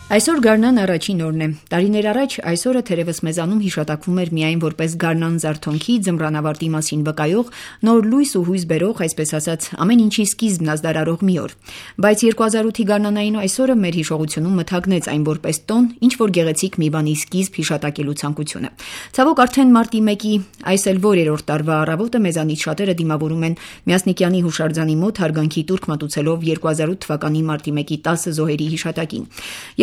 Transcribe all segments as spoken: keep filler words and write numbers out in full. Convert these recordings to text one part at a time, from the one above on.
Այսօր գարնան առաջին օրն է։ Տարիներ առաջ այսօրը թերևս մեզանում հիշատակվում էր միայն որպես գարնան զարթոնքի ձմռանավարտի մասին վկայող, նոր լույս ու հույս բերող, այսպես ասած, ամեն ինչի սկիզբն ազդարարող մի օր։ Բայց երկու հազար ութի գարնանային այսօրը մեր հիշողությունում մթագնեց այն որպես տոն, ինչ որ գեղեցիկ մի բանի սկիզբ հիշատակելու ցանկությունը։ Ցավոք արդեն մարտի մեկի այս էլ որերորդ տարվա առավոտը մեզանից շատերը դիմավորում են Մյասնիկյանի հուշարձանի մոտ հարգանքի տուրք մատուցելով երկու հազար ութ թվականի մարտի մեկի տասը զոհերի հիշատակին։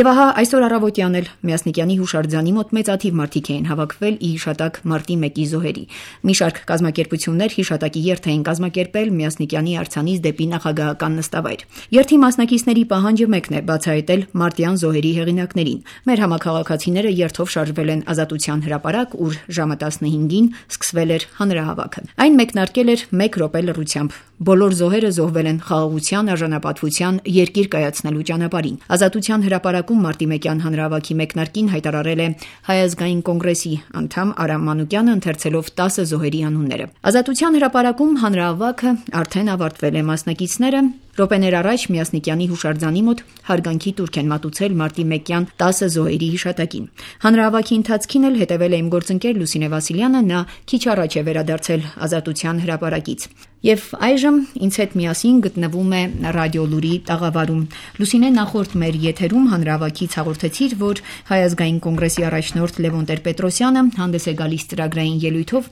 Եվ ահա այսօր առավոտյան էլ Մյասնիկյանի հուշարձանի մոտ մեծաթիվ մարդիկ էին հավաքվել ի հիշատակ մարտի մեկի զոհերի։ Մի շարք կազմակերպություններ հիշատակի երթ էին կազմակերպել Մյասնիկյանի արձանից դեպի նախագահական նստավայր։ Երթի մասնակիցների պահանջը մեկն է՝ բացահայտել մարտյան զոհերի հեղինակներին։ Մեր համաքաղաքացիները երթով շարժվել են Ազատության հրապարակ, ուր ժամը տասնհինգին սկսվել էր հանրահավաքը։ Այն մեկնարկել էր մեկ րոպե լռությամբ։ Բոլոր զոհերը զոհվել են խաղաղության, արժանապատվության, երկիր կայացնելու ճանապարհին։ Ազատության հրապարակում մարտի մեկյան հանրահավաքի մեկնարկին հայտարարել է Հայ ազգային կոնգրեսի անդամ Արամ Մանուկյանը, ընթերցելով տասը զոհերի անունները։ Ազատության հրապարակում հանրահավաքը արդեն ավարտվել է։ Մասնակիցները րոպեներ առաջ Մյասնիկյանի հուշարձանի մոտ հարգանքի տուրք են մատուցել մարտի մեկյան տասը զոհերի հիշատակին։ Հանրահավաքի ընթացքին էլ հետևել է իմ գործընկեր Լուսինե Վասիլյանը, նա քիչ առաջ է վերադարձել Ազատության հրապարակից։ Եվ այժմ ինձ հետ միասին գտնվում է Ռադիո Լուրի տաղավարում։ Լուսինե, նախորդ մեր եթերում հանրահավաքից հաղորդեցիր, որ Հայ ազգային կոնգրեսի առաջնորդ Լևոն Տեր-Պետրոսյանը հանդես է գալիս ծրագրային ելույթով,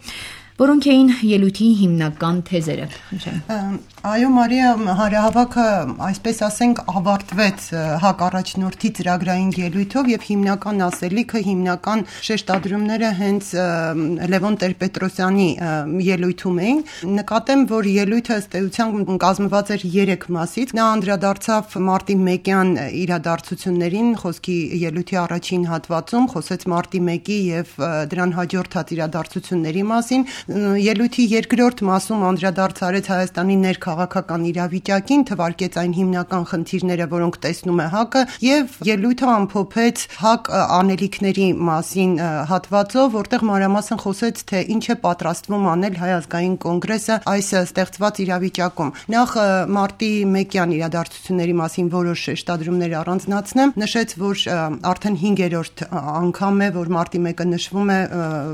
որոնք էին ելույթի հիմնական թեզերը։ Այո, Մարիա, հանրահավաքը, այսպես ասենք, ավարտվեց ՀԱԿ առաջնորդի ծրագրային ելույթով եւ հիմնական ասելիքը, հիմնական շեշտադրումները հենց Լևոն Տեր-Պետրոսյանի ելույթում էին։ Նկատեմ, որ ելույթը ըստ էության կազմված էր երեք մասից։ Նա անդրադարձավ մարտի մեկյան իրադարձություններին, խոսքի ելույթի առաջին հատվածում խոսեց մարտի մեկի եւ դրան հաջորդած իրադարձությունների մասին։ Ելույթի երկրորդ մասում անդրադարձ արեց Հայաստանի ներքաղաքական իրավիճակին, թվարկեց այն հիմնական խնդիրները, որոնք տեսնում է ՀԱԿ-ը, եւ ելույթը ամփոփեց ՀԱԿ անելիքների մասին հատվածով, որտեղ մանրամասն խոսեց, թե ինչ է պատրաստվում անել Հայ ազգային կոնգրեսը այս ստեղծված իրավիճակում։ Նախ մարտի մեկյան իրադարձությունների մասին որոշ շեշտադրումներ առանձնացնեմ, նշեց, որ արդեն հինգերորդ անգամ է, որ մարտի մեկը նշվում է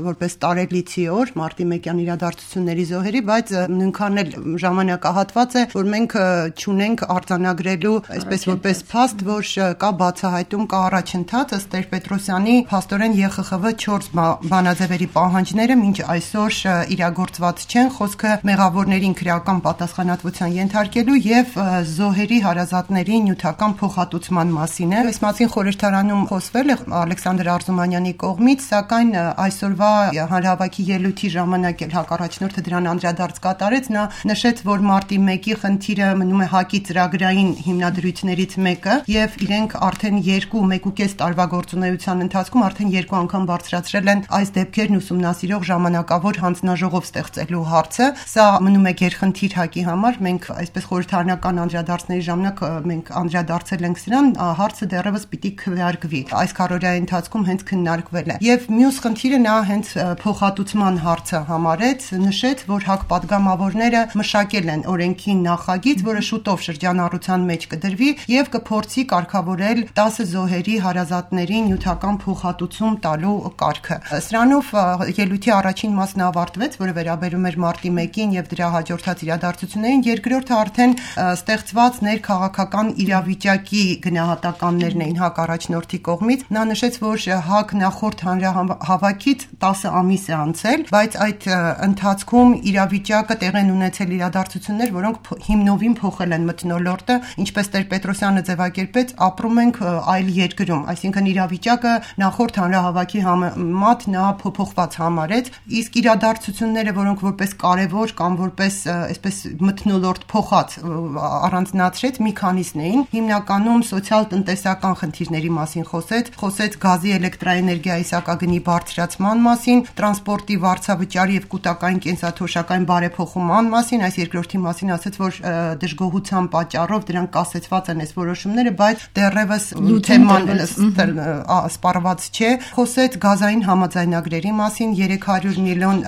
որպես տարելիցի օր, մարտի մեկյան իրադարձությունների զոհերի, բայց նույնքան էլ ժամանակահատված է, որ մենք չունենք արձանագրելու, այսպես որպես փաստ, որ կա բացահայտում, կա առաջընթաց, ըստ Տեր-Պետրոսյանի փաստորեն Ե Խ Խ V չորս բանաձևերի պահանջները մինչ այսօր իրագործված չեն, խոսքը մեղավորներին քրեական պատասխանատվության ենթարկելու եւ զոհերի հարազատների նյութական փոխհատուցման մասին է։ Այս մասին խորհրդարանում խոսվել է Ալեքսանդր Արզումանյանի կողմից, սակայն այսօրվա հանրահավաքի ելույթի ժամանակ էլ ՀԱԿ առաջնորդը դրան անդրադարձ կատարեց, նա նշեց, որ մարտի մեկի խնդիրը մնում է ՀԱԿ-ի ծրագրային հիմնադրույթներից մեկը եւ իրենք արդեն երկու, մեկ ու կես տարվա գործունեության ընթացքում արդեն երկու անգամ բարձրացրել են այս դեպքերն ուսումնասիրող ժամանակավոր հանձնաժողով ստեղծելու հարցը։ Սա մնում է գերխնդիր ՀԱԿ-ի համար, մենք այսպես խորհրդարանական անդրադարձների ժամանակ մենք անդրադարձել ենք սրան, հարցը դեռևս պիտի քվեարկվի։ Այս քառօրյայի ընթացքում հենց քննարկվել է։ Եվ մյուս խնդիրը նա հենց փոխհատուցման հարցը համարեց, նշեց, որ ՀԱԿ պատգամավորները մշակել են օրենքի նախագիծ, որը շուտով շրջանառության մեջ կդրվի եւ կփորձի կարգավորել տասը զոհերի հարազատներին նյութական փոխհատուցում տալու կարգը։ Սրանով ելույթի առաջին մասն ավարտվեց, որը վերաբերում էր մարտի մեկին եւ դրա հաջորդած իրադարձություններին, երկրորդը արդեն ստեղծված ներքաղաքական իրավիճակի գնահատականներն էին ՀԱԿ առաջնորդի կողմից։ Նա նշեց, որ ՀԱԿ նախորդ հանրահավաքից տասը ամիս է անցել, բայց այդ ընթացքում իրավիճակը տեղ են ունեցել իրադարձություններ, որոնք հիմնովին փոխել են մթնոլորտը, ինչպես Տեր-Պետրոսյանը ձևակերպեց, ապրում ենք այլ երկրում, այսինքն իրավիճակը նախորդ հանրահավաքի համեմատ նա փոփոխված համարեց, իսկ իրադարձությունները, որոնք որպես կարևոր կամ որպես այսպես մթնոլորտ փոխած առանձնացրեց, մի քանիսն էին, հիմնականում սոցիալ-տնտեսական խնդիրների մասին խոսեց, խոսեց գազի, էլեկտրաէներգիայի սակագնի բարձրացման մասին, տրանսպորտի վարձավճարի եւ կൂտակային կենսաթոշակային բարեփոխման մասին, այս երկրորդի մասին ասաց, որ դժգոհության պատճառով դրանք կասեցված են այս որոշումները, բայց դեռևս թեման սպառված չէ։ Խոսեց գազային համաձայնագրերի մասին, երեք հարյուր միլիոն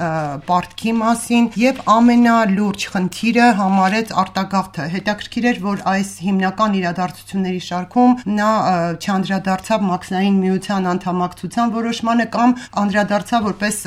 պարտքի մասին եւ ամենալուրջ խնդիրը համարեց արտագաղթը։ Հետաքրքիր էր, որ այս հիմնական իրադարձությունների շարքում նա չանդրադարձավ Մաքսային միության անդամակցության որոշմանը կամ անդրադարձավ որպես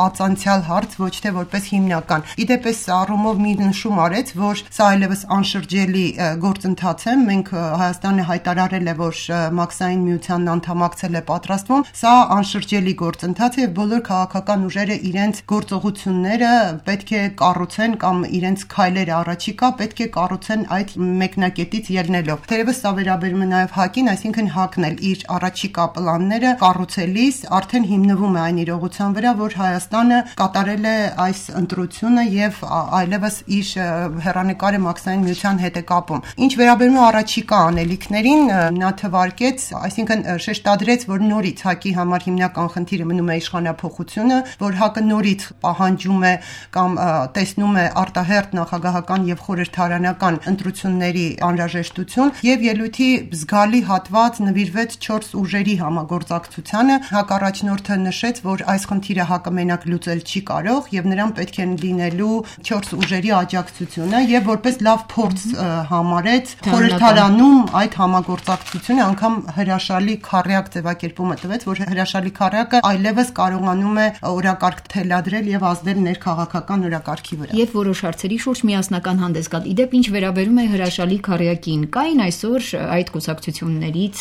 ածանցյալ հարց, ոչ թե որպես հիմնական։ Իդեպ այս առումով մի նշում արեց, որ սա այլևս անշրջելի գործընթաց է։ Մենք Հայաստանը հայտարարել է, որ Մաքսային միությանն անդամակցել է պատրաստվում։ Սա անշրջելի գործընթաց է եւ բոլոր քաղաքական ուժերը իրենց գործողությունները պետք է կառուցեն կամ իրենց քայլերը առաջիկա պետք է կառուցեն այդ մեկնակետից ելնելով։ Թերևս սա վերաբերում է նաեւ ՀԱԿ-ին, այսինքն ՀԱԿ-ն էլ իր առաջիկա պլանները կառուցելիս արդեն հիմնվում է այն իրողության վրա, որ Հայաստանը կատարել է այս ընտրությունը եւ այլևս իր հեռանկարը Մաքսային միության հետ է կապում։ Ինչ վերաբերում է առաջիկա անելիքներին, նա թվարկեց, այսինքն շեշտադրեց, որ նորից ՀԱԿ-ի համար հիմնական խնդիրը մնում է իշխանափոխությունը, որ ՀԱԿ-ը նորից պահանջում է կամ տեսնում է արտահերթ նախագահական եւ խորհրդարանական ընտրությունների անհրաժեշտություն եւ ելույթի զգալի հատված նվիրվեց չորս ուժերի համագործակցությանը։ ՀԱԿ առաջնորդը նշեց, որ այս խնդիրը ՀԱԿ-ը մենակ լուծել չի կարող եւ նրան պետք է լինելու չորս ուժերի աջակցությունը եւ որպես լավ փորձ համարեց խորհրդարանում այդ համագործակցությունը, անգամ հրաշալի քառյակ ձևակերպումը տվեց, որ հրաշալի քառյակը այլևս կարողանում է օրակարգ թելադրել եւ ազդել ներքաղաքական օրակարգի վրա։ Եվ որոշ հարցերի շուրջ միասնական հանդես գալ։ Իդեպ ինչ վերաբերում է հրաշալի քառյակին, կային այսօր այդ կուսակցություններից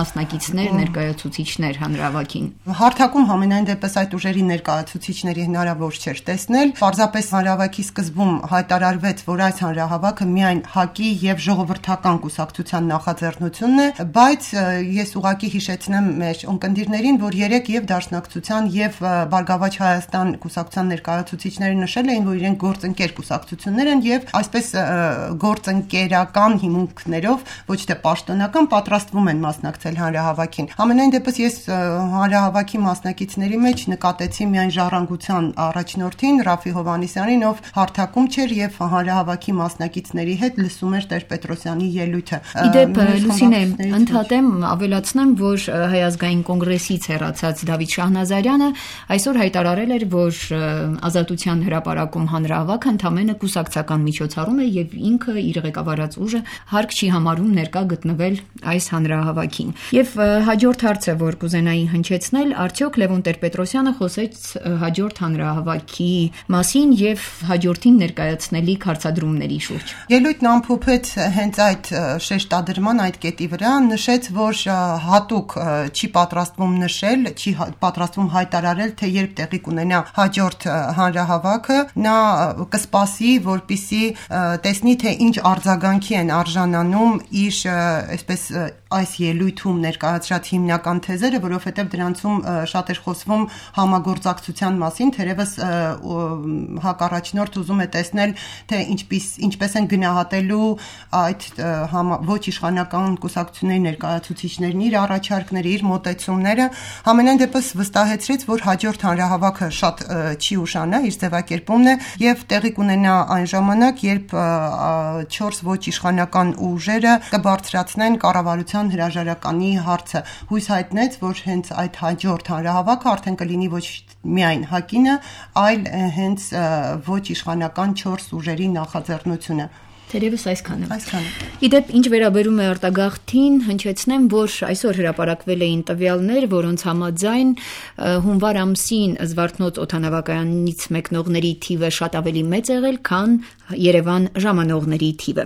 մասնակիցներ, ներկայացուցիչներ հանրահավաքին։ Հարթակում համենայն դեպս այդ ուժերի ներկայացուցիչների հնարավոր չէր տեսնել։ Պարզապես հանրահավաքի սկզբում հայտարարվեց, որ այս հանրահավաքը միայն ՀԱԿ-ի եւ ժողովրդական կուսակցության նախաձեռնությունն է, բայց ես ուղղակի հիշեցնեմ մեր ունկնդիրներին, որ երեք եւ Դաշնակցության եւ Բարգավաճ Հայաստան կուսակցության ներկայացուցիչները նշել էին, որ իրենք գործընկեր կուսակցություններ են եւ այսպես գործընկերական հիմունքներով, ոչ թե պաշտոնական, պատրաստվում են մասնակցել հանրահավաքին։ Համենայն դեպս ես հանրահավաքի մասնակիցների մեջ նկատեցի միայն Ժառանգության առաջնորդին Ռաֆի Հովհաննիսյանին, ով հարթակում չէր եւ հանրահավաքի մասնակիցների հետ լսում էր Տեր-Պետրոսյանի ելույթը։ Իդեպ Լուսինե, ընդհատեմ, ավելացնեմ, որ Հայ ազգային կոնգրեսից հեռացած Դավիթ Շահնազարյանը այսօր հայտարարել էր, որ Ազատության հրապարակում հանրահավաքը ընդամենը կուսակցական միջոցառում է եւ ինքը իր ղեկավարած ուժը հարկ չի համարում ներկա գտնվել այս հանրահավաքին։ Եվ հաջորդ հարցը, որ կուզենայի հնչեցնել, արդյոք Լևոն Տեր-Պետրոսյանը խոսեց հաջորդ հանրահավաքի մասին եւ հաջորդին ներկայացնելիք հարցադրումների շուրջ։ Ելույթն ամփոփեց հենց այդ շեշտադրման այդ կետի վրա, նշեց, որ հատուկ չի պատրաստվում նշել, չի պատրաստվում հայտարարել, թե երբ տեղի կունենա հաջորդ հանրահավաքը, նա կսպասի, որպիսի տեսնի, թե ինչ արձագանքի են արժանանում իր այսպես այս ելույթում ներկայացրած հիմնական թեզերը, որովհետև դրանցում շատ էր խոսվում համագործակցության մասին, թերևս ՀԱԿ առաջնորդ ուզում է տեսնել, թե ինչպես ինչպես են գնահատելու այդ ոչ իշխանական կուսակցությունների ներկայացուցիչներն իր առաջարկները, իր մոտեցումները, համենայն դեպս վստահեցրեց, որ հաջորդ հանրահավաքը շատ չի ուշանա, իր ձևակերպումն է եւ տեղի կունենա այն ժամանակ, երբ չորս ոչ իշխանական ուժերը կբարձրացնեն կառավարության հրաժարականի հարցը։ Հույս հայտնեց, որ հենց այդ հաջորդ հանրահավաքը արդեն կլինի ոչ միայն ՀԱԿ-ինը, այլ հենց ոչ իշխանական չորս ուժերի նախաձեռնությունը։ Թերևս այսքանը։ Այսքանը։ Իդեպ ինչ վերաբերում է արտագաղթին, հնչեցնեմ, որ այսօր հրապարակվել էին տվյալներ, որոնց համաձայն հունվար ամսին Զվարթնոց օդանավակայանից մեկնողների թիվը շատ ավելի մեծ եղել, քան Երևան ժամանողների թիվը։